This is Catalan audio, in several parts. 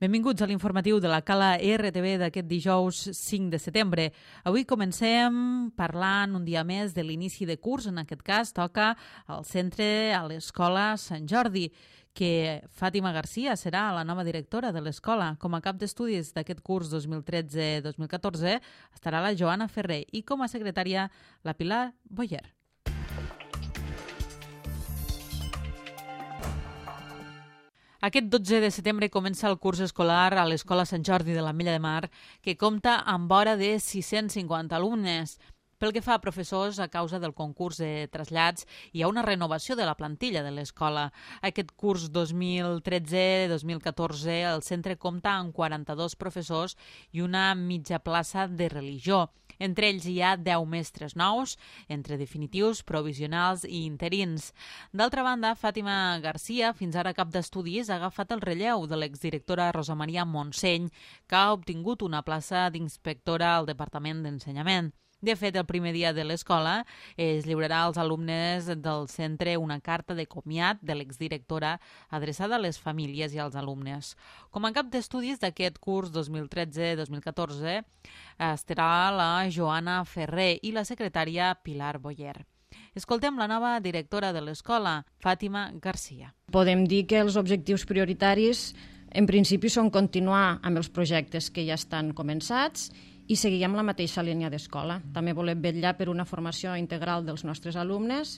Benvinguts a l'informatiu de la Cala RTV d'aquest dijous 5 de setembre. Avui comencem parlant un dia més de l'inici de curs. En aquest cas toca al centre, a l'Escola Sant Jordi, que Fàtima Garcia serà la nova directora de l'escola. Com a cap d'estudis d'aquest curs 2013-2014 estarà la Joana Ferrer i com a secretària la Pilar Boyer. Aquest 12 de setembre comença el curs escolar a l'Escola Sant Jordi de l'Ametlla de Mar, que compta amb vora de 650 alumnes. Pel que fa a professors, a causa del concurs de trasllats, hi ha una renovació de la plantilla de l'escola. Aquest curs 2013-2014 el centre compta amb 42 professors i una mitja plaça de religió. Entre ells hi ha 10 mestres nous, entre definitius, provisionals i interins. D'altra banda, Fàtima Garcia, fins ara cap d'estudis, ha agafat el relleu de l'exdirectora Rosa Maria Montseny, que ha obtingut una plaça d'inspectora al Departament d'Ensenyament. De fet, el primer dia de l'escola es lliurarà als alumnes del centre una carta de comiat de l'exdirectora adreçada a les famílies i als alumnes. Com a cap d'estudis d'aquest curs 2013-2014 estarà la Joana Ferrer i la secretària Pilar Boyer. Escoltem la nova directora de l'escola, Fàtima Garcia. Podem dir que els objectius prioritaris en principi són continuar amb els projectes que ja estan començats i seguir amb la mateixa línia d'escola. També volem vetllar per una formació integral dels nostres alumnes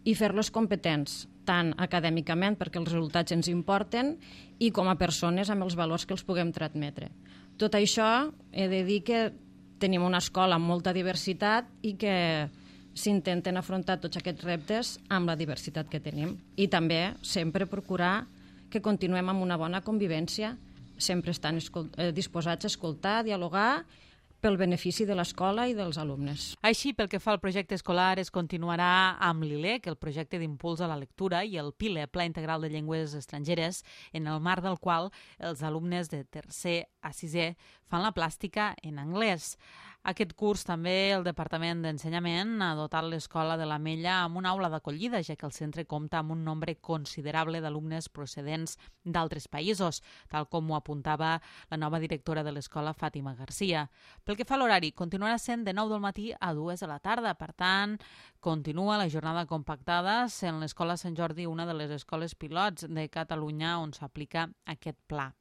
i fer-los competents, tant acadèmicament, perquè els resultats ens importen, i com a persones amb els valors que els puguem transmetre. Tot això, he de dir que tenim una escola amb molta diversitat i que s'intenten afrontar tots aquests reptes amb la diversitat que tenim. I també sempre procurar que continuem amb una bona convivència, sempre estan disposats a escoltar, a dialogar, pel benefici de l'escola i dels alumnes. Així, pel que fa al projecte escolar, es continuarà amb l'ILEC, el projecte d'impuls a la lectura, i el PILE, Pla Integral de Llengües Estrangeres, en el marc del qual els alumnes de tercer a sisè fan la plàstica en anglès. Aquest curs també el Departament d'Ensenyament ha dotat l'escola de l'Ametlla amb una aula d'acollida, ja que el centre compta amb un nombre considerable d'alumnes procedents d'altres països, tal com ho apuntava la nova directora de l'escola, Fàtima Garcia. Pel que fa a l'horari, continuarà sent de 9 del matí a 2 de la tarda. Per tant, continua la jornada compactada sent l'Escola Sant Jordi una de les escoles pilots de Catalunya on s'aplica aquest pla.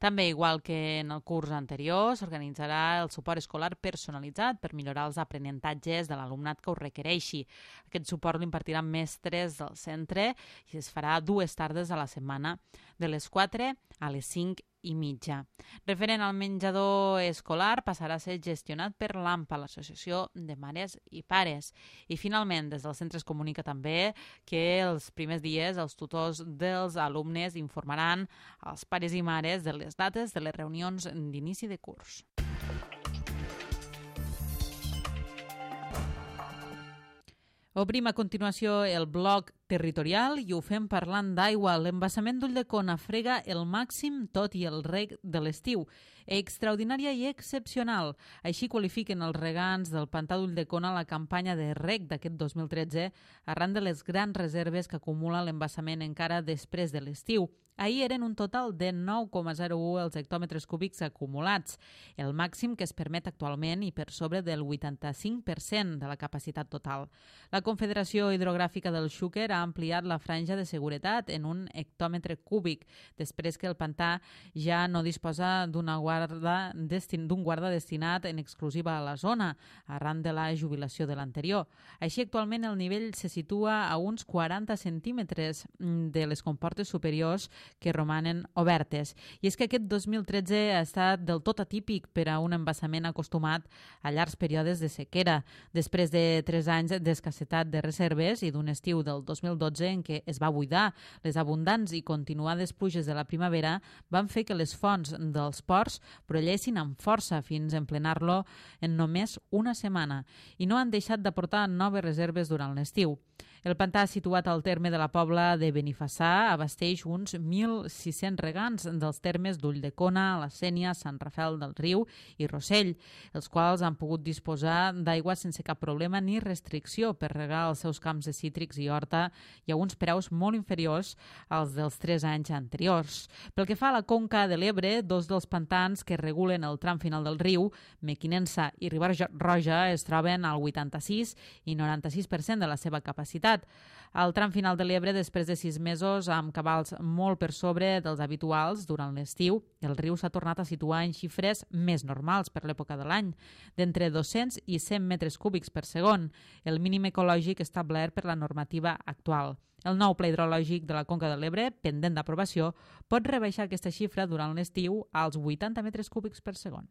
També, igual que en el curs anterior, s'organitzarà el suport escolar personalitzat per millorar els aprenentatges de l'alumnat que ho requereixi. Aquest suport l'impartiran mestres del centre i es farà 2 tardes a la setmana, de les 4 a les 5:30. Referent al menjador escolar, passarà a ser gestionat per l'AMPA, l'Associació de Mares i Pares. I finalment, des del centre es comunica també que els primers dies els tutors dels alumnes informaran als pares i mares de les dates de les reunions d'inici de curs. Obrim a continuació el bloc territorial i ho fem parlant d'aigua. L'embassament d'Ulldecona frega el màxim tot i el reg de l'estiu. Extraordinària i excepcional. Així qualifiquen els regants del pantà d'Ulldecona la campanya de reg d'aquest 2013 arran de les grans reserves que acumula l'embassament encara després de l'estiu. Ahir eren un total de 9,01 els hectòmetres cúbics acumulats, el màxim que es permet actualment i per sobre del 85% de la capacitat total. La Confederació Hidrogràfica del Xúquer ha ampliat la franja de seguretat en un hectòmetre cúbic, després que el pantà ja no disposa d'un guarda destinat en exclusiva a la zona, arran de la jubilació de l'anterior. Així, actualment el nivell se situa a uns 40 centímetres de les comportes superiors que romanen obertes. I és que aquest 2013 ha estat del tot atípic per a un embassament acostumat a llargs períodes de sequera, després de 3 anys d'escassetat de reserves i d'un estiu del 2012 en què es va buidar. Les abundants i continuades pluges de la primavera van fer que les fonts dels ports brollessin amb força fins a emplenar-lo en només una setmana i no han deixat d'aportar noves reserves durant l'estiu. El pantà, situat al terme de la Pobla de Benifassà, abasteix uns 1.600 regants dels termes d'Ulldecona, la Sénia, Sant Rafel del Riu i Rossell, els quals han pogut disposar d'aigua sense cap problema ni restricció per regar els seus camps de cítrics i horta i a uns preus molt inferiors als dels 3 anys anteriors. Pel que fa a la conca de l'Ebre, dos dels pantans que regulen el tram final del riu, Mequinensa i Riba-roja, es troben al 86 i 96% de la seva capacitat. Al tram final de l'Ebre, després de 6 mesos amb cabals molt per sobre dels habituals durant l'estiu, el riu s'ha tornat a situar en xifres més normals per l'època de l'any, d'entre 200 i 100 metres cúbics per segon, el mínim ecològic establert per la normativa actual. El nou pla hidrològic de la Conca de l'Ebre, pendent d'aprovació, pot rebaixar aquesta xifra durant l'estiu als 80 metres cúbics per segon.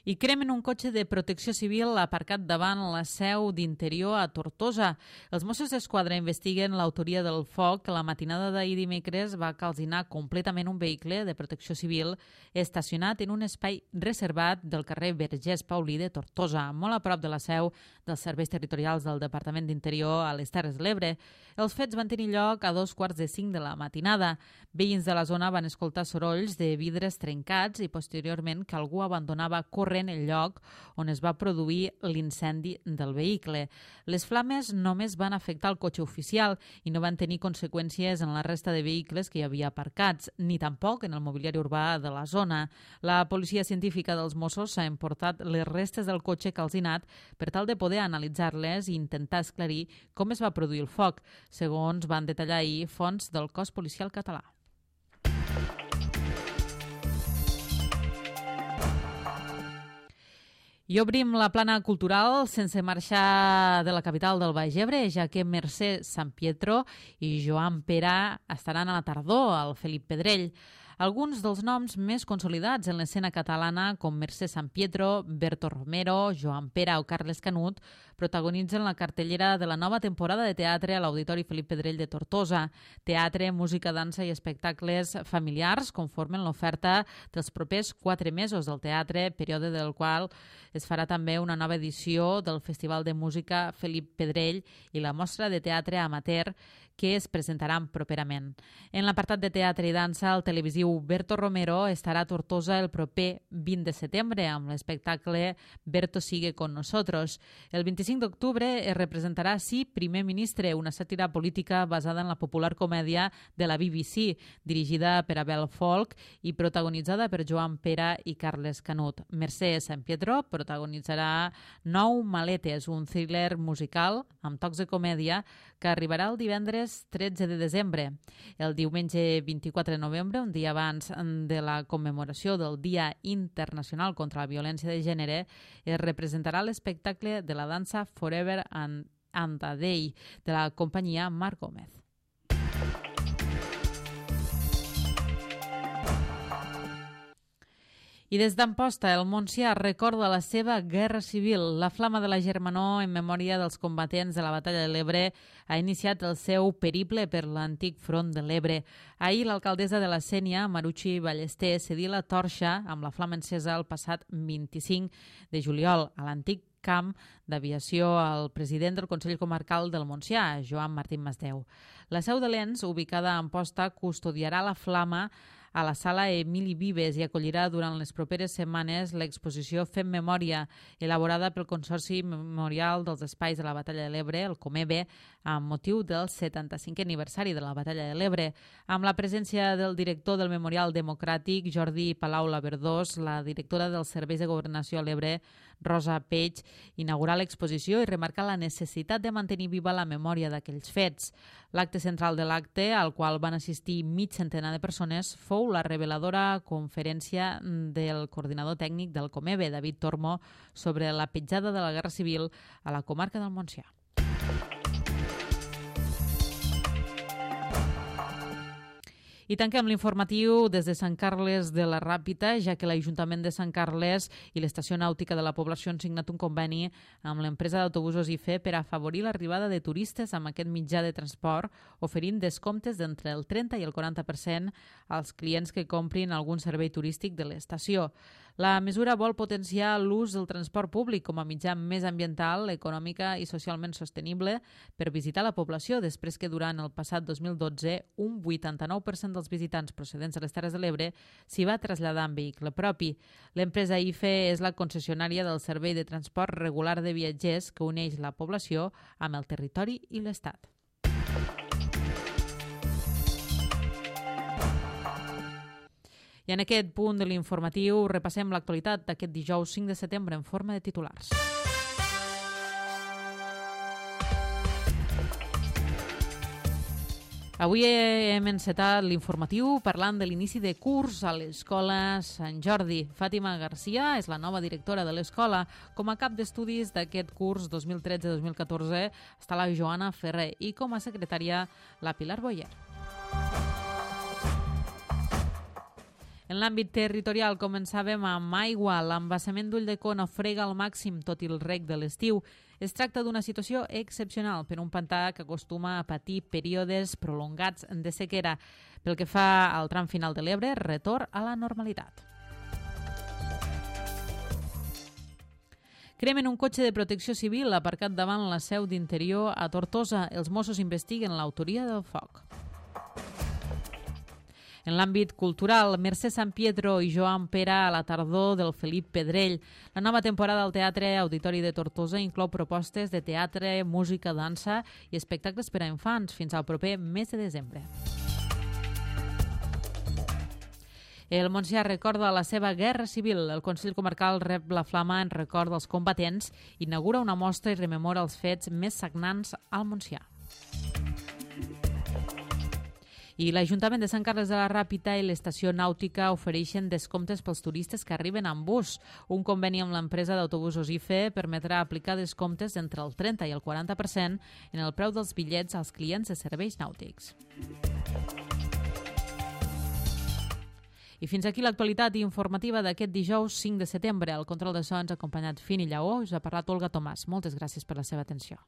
I cremen un cotxe de protecció civil aparcat davant la seu d'Interior a Tortosa. Els Mossos d'Esquadra investiguen l'autoria del foc que la matinada d'ahir dimecres va calcinar completament un vehicle de protecció civil estacionat en un espai reservat del carrer Vergés Paulí de Tortosa, molt a prop de la seu dels serveis territorials del Departament d'Interior a les Terres de l'Ebre. Els fets van tenir lloc a 2:45 de la matinada. Veïns de la zona van escoltar sorolls de vidres trencats i posteriorment que algú abandonava corrent el lloc on es va produir l'incendi del vehicle. Les flames només van afectar el cotxe oficial i no van tenir conseqüències en la resta de vehicles que hi havia aparcats, ni tampoc en el mobiliari urbà de la zona. La policia científica dels Mossos s'ha emportat les restes del cotxe calcinat per tal de poder analitzar-les i intentar esclarir com es va produir el foc, segons van detallar ahir fonts del cos policial català. I obrim la plana cultural sense marxar de la capital del Baix Ebre, ja que Mercè Sampietro i Joan Pera estaran a la tardor al Felip Pedrell. Alguns dels noms més consolidats en l'escena catalana, com Mercè Sampietro, Berto Romero, Joan Pera o Carles Canut, protagonitzen la cartellera de la nova temporada de teatre a l'Auditori Felip Pedrell de Tortosa. Teatre, música, dansa i espectacles familiars conformen l'oferta dels propers 4 mesos del teatre, període del qual es farà també una nova edició del Festival de Música Felip Pedrell i la mostra de teatre amateur que es presentaran properament. En l'apartat de teatre i dansa, el televisiu Berto Romero estarà a Tortosa el proper 20 de setembre amb l'espectacle Berto sigue con nosotros. El 25 d'octubre es representarà Sí, primer ministre, una sàtira política basada en la popular comèdia de la BBC, dirigida per Abel Folk i protagonitzada per Joan Pera i Carles Canut. Mercè Sampietro protagonitzarà Nou maletes, un thriller musical amb tocs de comèdia que arribarà el divendres 13 de desembre. El diumenge 24 de novembre, un dia abans de la commemoració del Dia Internacional contra la Violència de Gènere, es representarà l'espectacle de la dansa Forever and a Day de la companyia Marc Gómez. I des d'Amposta, el Montsià recorda la seva guerra civil. La Flama de la Germanor, en memòria dels combatents de la Batalla de l'Ebre, ha iniciat el seu periple per l'antic front de l'Ebre. Ahir, l'alcaldessa de la Sénia, Marucci Ballester, cedí la torxa amb la flama encesa el passat 25 de juliol a l'antic camp d'aviació al president del Consell Comarcal del Montsià, Joan Martín Masdeu. La seu de l'ENS, ubicada a Amposta, custodiarà la flama a la sala Emili Vives i acollirà durant les properes setmanes l'exposició Fem Memòria, elaborada pel Consorci Memorial dels Espais de la Batalla de l'Ebre, el COMEBE, amb motiu del 75è aniversari de la Batalla de l'Ebre, amb la presència del director del Memorial Democràtic, Jordi Palau Laverdós, la directora dels Serveis de Governació a l'Ebre, Rosa Peix, inaugurar l'exposició i remarcar la necessitat de mantenir viva la memòria d'aquells fets. L'acte central de l'acte, al qual van assistir mig centenar de persones, fou la reveladora conferència del coordinador tècnic del COMEBE, David Tormo, sobre la petjada de la Guerra Civil a la comarca del Montsià. I tanquem l'informatiu des de Sant Carles de la Ràpita, ja que l'Ajuntament de Sant Carles i l'Estació Nàutica de la Població han signat un conveni amb l'empresa d'autobusos IFE per afavorir l'arribada de turistes amb aquest mitjà de transport, oferint descomptes d'entre el 30 i el 40% als clients que comprin algun servei turístic de l'estació. La mesura vol potenciar l'ús del transport públic com a mitjà més ambiental, econòmica i socialment sostenible per visitar la població, després que durant el passat 2012 un 89% dels visitants procedents de les Terres de l'Ebre s'hi va traslladar en vehicle propi. L'empresa IFE és la concessionària del servei de transport regular de viatgers que uneix la població amb el territori i l'Estat. I en aquest punt de l'informatiu repassem l'actualitat d'aquest dijous 5 de setembre en forma de titulars. Avui hem encetat l'informatiu parlant de l'inici de curs a l'Escola Sant Jordi. Fàtima Garcia és la nova directora de l'escola. Com a cap d'estudis d'aquest curs 2013-2014 està la Joana Ferrer i com a secretària la Pilar Boyer. En l'àmbit territorial començàvem amb aigua. L'embassament d'Ulldecona frega al màxim tot i el reg de l'estiu. Es tracta d'una situació excepcional per un pantà que acostuma a patir períodes prolongats de sequera. Pel que fa al tram final de l'Ebre, retorn a la normalitat. Cremen un cotxe de protecció civil aparcat davant la seu d'Interior a Tortosa. Els Mossos investiguen l'autoria del foc. En l'àmbit cultural, Mercè San Pietro i Joan Pera a la tardor del Felip Pedrell. La nova temporada al Teatre Auditori de Tortosa inclou propostes de teatre, música, dansa i espectacles per a infants fins al proper mes de desembre. El Montsià recorda la seva guerra civil. El Consell Comarcal rep la flama en record dels combatents, inaugura una mostra i rememora els fets més sagnants al Montsià. I l'Ajuntament de Sant Carles de la Ràpita i l'Estació Nàutica ofereixen descomptes pels turistes que arriben amb bus. Un conveni amb l'empresa d'autobusos IFE permetrà aplicar descomptes entre el 30 i el 40% en el preu dels bitllets als clients de serveis nàutics. I fins aquí l'actualitat informativa d'aquest dijous 5 de setembre. Al control de so ens ha acompanyat Fini Lleó. Us ha parlat Olga Tomàs. Moltes gràcies per la seva atenció.